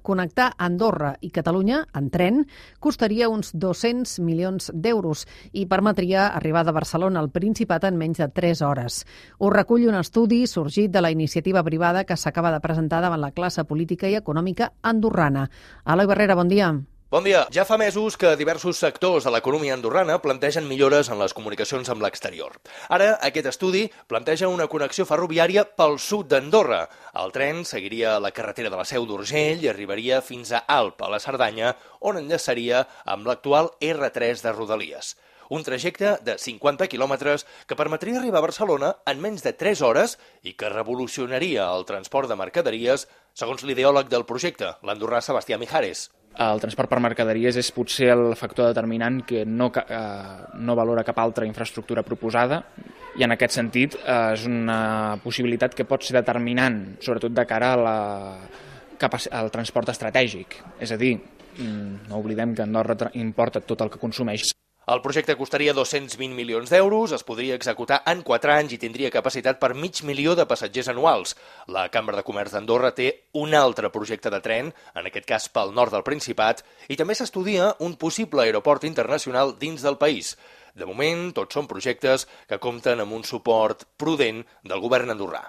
connectar Andorra i Catalunya en tren costaria uns 200 milions d'euros i permetria arribar de Barcelona al Principat en menys de 3 hores. Ho recull un estudi sorgit de la iniciativa privada que s'acaba de presentar davant la classe política i econòmica andorrana. Eloi Barrera, bon dia. Bon dia. Ja fa mesos que diversos sectors de l'economia andorrana plantegen millores en les comunicacions amb l'exterior. Ara, aquest estudi planteja una connexió ferroviària pel sud d'Andorra. El tren seguiria la carretera de la Seu d'Urgell i arribaria fins a Alp, a la Cerdanya, on enllaçaria amb l'actual R3 de Rodalies. Un trajecte de 50 quilòmetres que permetria arribar a Barcelona en menys de 3 hores i que revolucionaria el transport de mercaderies, segons l'ideòleg del projecte, l'andorrà Sebastià Mijares. El transport per mercaderies és potser el factor determinant que no valora cap altra infraestructura proposada i en aquest sentit és una possibilitat que pot ser determinant, sobretot de cara al transport estratègic. És a dir, no oblidem que Andorra importa tot el que consumeix. El projecte costaria 220 milions d'euros, es podria executar en 4 anys i tindria capacitat per 500.000 de passatgers anuals. La Cambra de Comerç d'Andorra té un altre projecte de tren, en aquest cas pel nord del Principat, i també s'estudia un possible aeroport internacional dins del país. De moment, tots són projectes que compten amb un suport prudent del govern andorrà.